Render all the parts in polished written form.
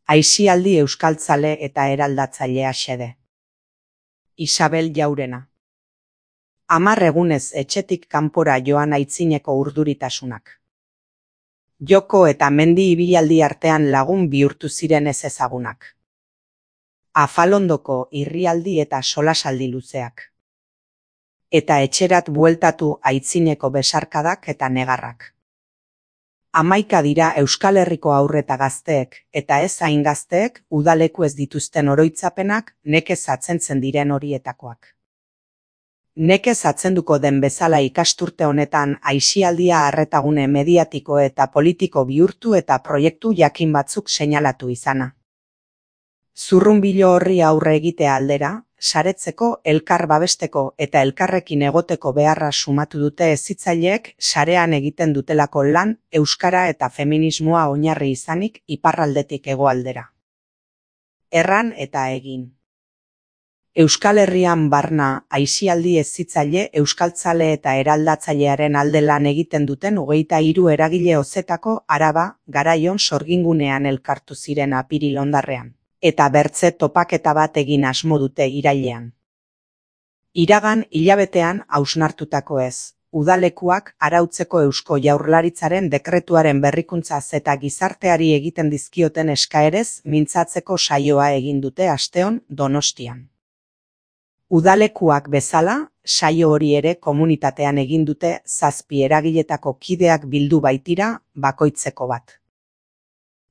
Aisialdi euskaltzale eta eraldatzailea xede. Isabel Jaurena. 10 egunez etxetik kanpora joan aitzineko urduritasunak. Joko eta mendi ibilaldi artean lagun bihurtu ziren ez ezagunak. Afalondoko irrialdi eta solasaldi luzeak. Eta etxerat bueltatu aitzineko besarkadak eta negarrak. 11 dira Euskal Herriko haur eta gazteek, eta ez hain gazteek udaleku ez dituzten oroitzapenak nekez atzentzen diren horietakoak. Nekez atzenduko den bezala ikasturte honetan aisialdia arretagune mediatiko eta politiko bihurtu eta proiektu jakin batzuk seinalatu izana. Zurrunbilo horri aurre egitea aldera, saretzeko, elkar babesteko eta elkarrekin egoteko beharra sumatu dute hezitzaileek sarean egiten dutelako lan euskara eta feminismoa oinarri izanik iparraldetik hegoaldera. Erran eta egin. Euskal Herrian barna aisialdi hezitzaile euskaltzale eta eraldatzailearen alde lan egiten duten 23 eragile ozetako Araba, Garaion sorgingunean elkartu ziren apiril hondarrean. Eta bertze topaketa bat egin asmo dute irailean. Iragan hilabetean hausnartutako ez, udalekuak arautzeko Eusko Jaurlaritzaren dekretuaren berrikuntzaz eta gizarteari egiten dizkioten eskaerez mintzatzeko saioa egin dute asteon Donostian. Udalekuak bezala, saio hori ere komunitatean egin dute 7 eragiletako kideak bildu baitira bakoitzeko bat.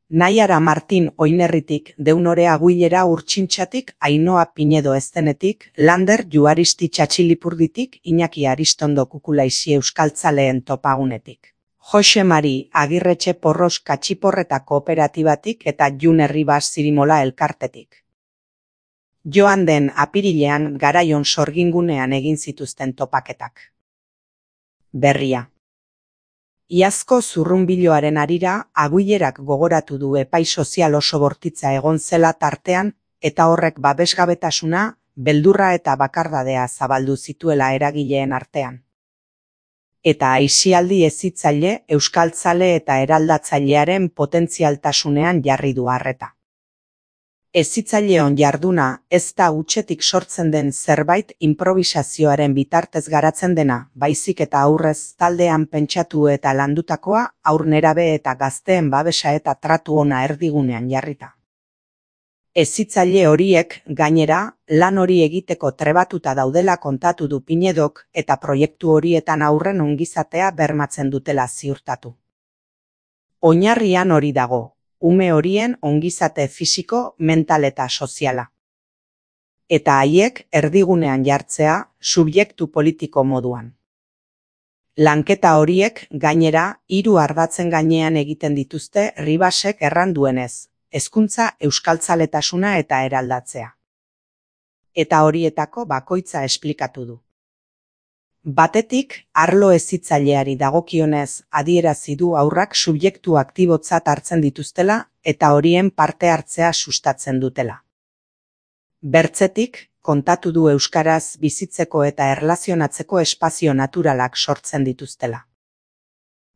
Naiara Martin Oinerritik, Deunore Aguilera Urtsintxatik, Ainhoa Pinedo Eztenetik, Lander Juaristi Txatxilipurditik, Iñaki Aristondo Kukulaisi euskaltzaleen topagunetik. Jose Mari Agirretxe Porros Katxiporreta Kooperatibatik eta Jun Herribas Zirimola elkartetik. Joan den apirilean Garaion sorgingunean egin zituzten topaketak. Berria. Iazko zurrunbiloaren harira, Aguilerak gogoratu du epai sozial oso bortitza egon zela tartean, eta horrek babesgabetasuna, beldurra eta bakardadea zabaldu zituela eragileen artean. Eta aisialdi hezitzaile, euskaltzale eta eraldatzailearen potentzialtasunean jarri du arreta. Hezitzaileon jarduna ez da hutsetik sortzen den zerbait improvisazioaren bitartez garatzen dena, baizik eta aurrez taldean pentsatu eta landutakoa haur nerabe eta gazteen babesa eta tratu ona erdigunean jarrita. Hezitzaile horiek, gainera, lan hori egiteko trebatuta daudela kontatu du Pinedok eta proiektu horietan aurren ongizatea bermatzen dutela ziurtatu. Oinarrian hori dago. Ume horien ongizate fisiko, mental eta soziala. Eta haiek erdigunean jartzea subjektu politiko moduan. Lanketa horiek gainera 3 ardatzen gainean egiten dituzte Ribasek erran duenez, hezkuntza euskaltzaletasuna eta eraldatzea. Eta horietako bakoitza esplikatu du. Batetik, arlo hezitzaileari dagokionez adierazi du haurrak subjektu aktibotzat hartzen dituztela eta horien parte hartzea sustatzen dutela. Bertzetik, kontatu du euskaraz bizitzeko eta erlazionatzeko espazio naturalak sortzen dituztela.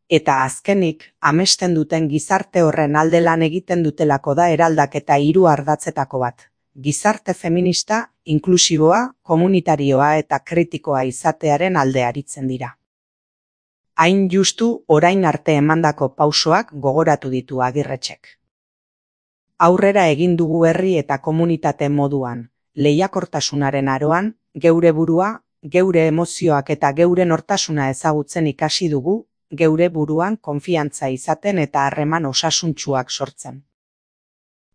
Eta azkenik, amesten duten gizarte horren alde lan egiten dutelako da eraldaketa 3 ardatzetako bat. Gizarte feminista, inklusiboa, komunitarioa eta kritikoa izatearen alde aritzen dira. Hain justu orain arte emandako pausoak gogoratu ditu Agirretxek. Aurrera egin dugu herri eta komunitate moduan, lehiakortasunaren aroan, geure burua, geure emozioak eta geure nortasuna ezagutzen ikasi dugu, geure buruan konfiantza izaten eta harreman osasuntsuak sortzen.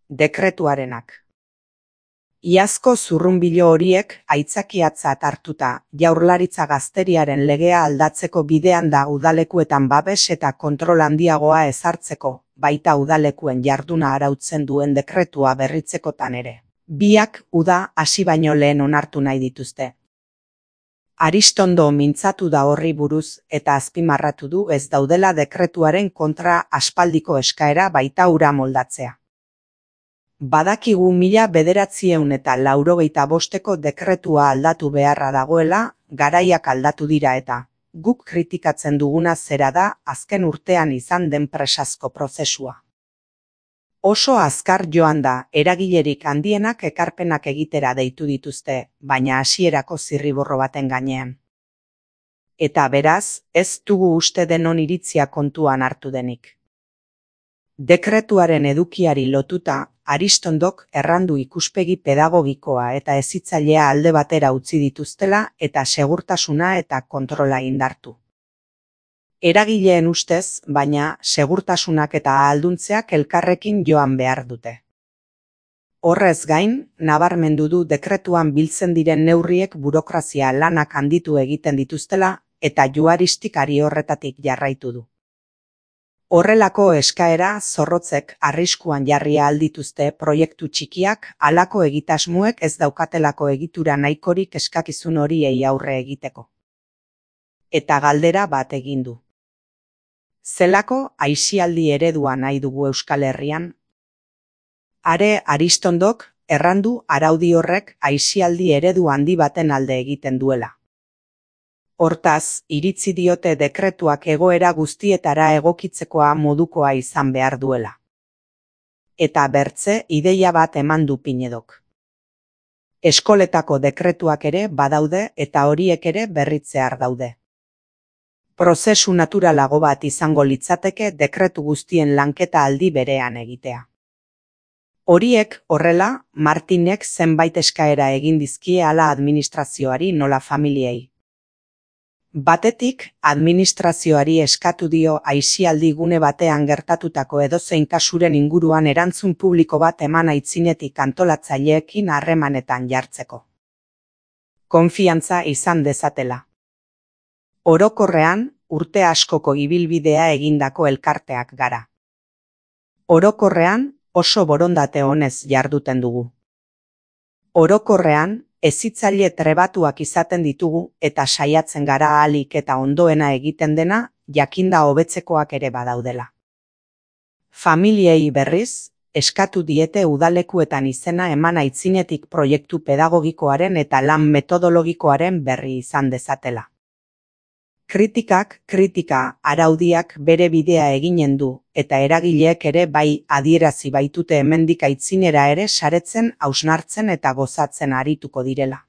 Dekretuarenak. Iazko zurrunbilo horiek aitzakiatzat hartuta Jaurlaritza Gazteriaren legea aldatzeko bidean da udalekuetan babes eta kontrol handiagoa ezartzeko, baita udalekuen jarduna arautzen duen dekretua berritzekotan ere. Biak uda hasi baino lehen onartu nahi dituzte. Aristondo mintzatu da horri buruz eta azpimarratu du ez daudela dekretuaren kontra aspaldiko eskaera baita hura moldatzea. Badakigu 1985 dekretua aldatu beharra dagoela, garaiak aldatu dira eta, guk kritikatzen duguna zera da azken urtean izan den presazko prozesua. Oso azkar joan da, eragilerik handienak ekarpenak egitera deitu dituzte, baina hasierako zirriborro baten gainean. Eta beraz, ez dugu uste denon iritzia kontuan hartu denik. Dekretuaren edukiari lotuta, Aristondok errandu ikuspegi pedagogikoa eta hezitzailea alde batera utzi dituztela eta segurtasuna eta kontrola indartu. Eragileen ustez, baina segurtasunak eta ahalduntzeak elkarrekin joan behar dute. Horrez gain, nabarmendu du dekretuan biltzen diren neurriek burokrazia lanak handitu egiten dituztela eta juaristikari horretatik jarraitu du. Horrelako eskaera zorrotzek arriskuan jarri ahal dituzte proiektu txikiak halako egitasmoek ez daukatelako egitura nahikorik eskakizun horiei aurre egiteko. Eta galdera bat egin du. Zelako aisialdi eredua nahi dugu Euskal Herrian? Are Aristondok errandu araudi horrek aisialdi eredu handi baten alde egiten duela. Hortaz, iritzi diote dekretuak egoera guztietara egokitzekoa modukoa izan behar duela. Eta bertze ideia bat eman du Pinedok. Eskoletako dekretuak ere badaude eta horiek ere berritzear daude. Prozesu naturalago bat izango litzateke dekretu guztien lanketa aldi berean egitea. Horiek horrela, Martinek zenbait eskaera egin dizkie hala administrazioari nola familiei. Batetik, administrazioari eskatu dio aisialdi gune batean gertatutako edozein kasuren inguruan erantzun publiko bat eman aitzinetik antolatzaileekin harremanetan jartzeko. Konfiantza izan dezatela. Orokorrean, urte askoko ibilbidea egindako elkarteak gara. Orokorrean, oso borondate honez jarduten dugu. Orokorrean, hezitzaile trebatuak izaten ditugu eta saiatzen gara ahalik eta ondoena egiten dena jakinda hobetzekoak ere badaudela. Familiei berriz, eskatu diete udalekuetan izena eman aitzinetik proiektu pedagogikoaren eta lan metodologikoaren berri izan dezatela. Kritika araudiak bere bidea eginen du, eta eragileek ere bai adierazi baitute hemendik aitzinera ere saretzen, hausnartzen eta gozatzen arituko direla.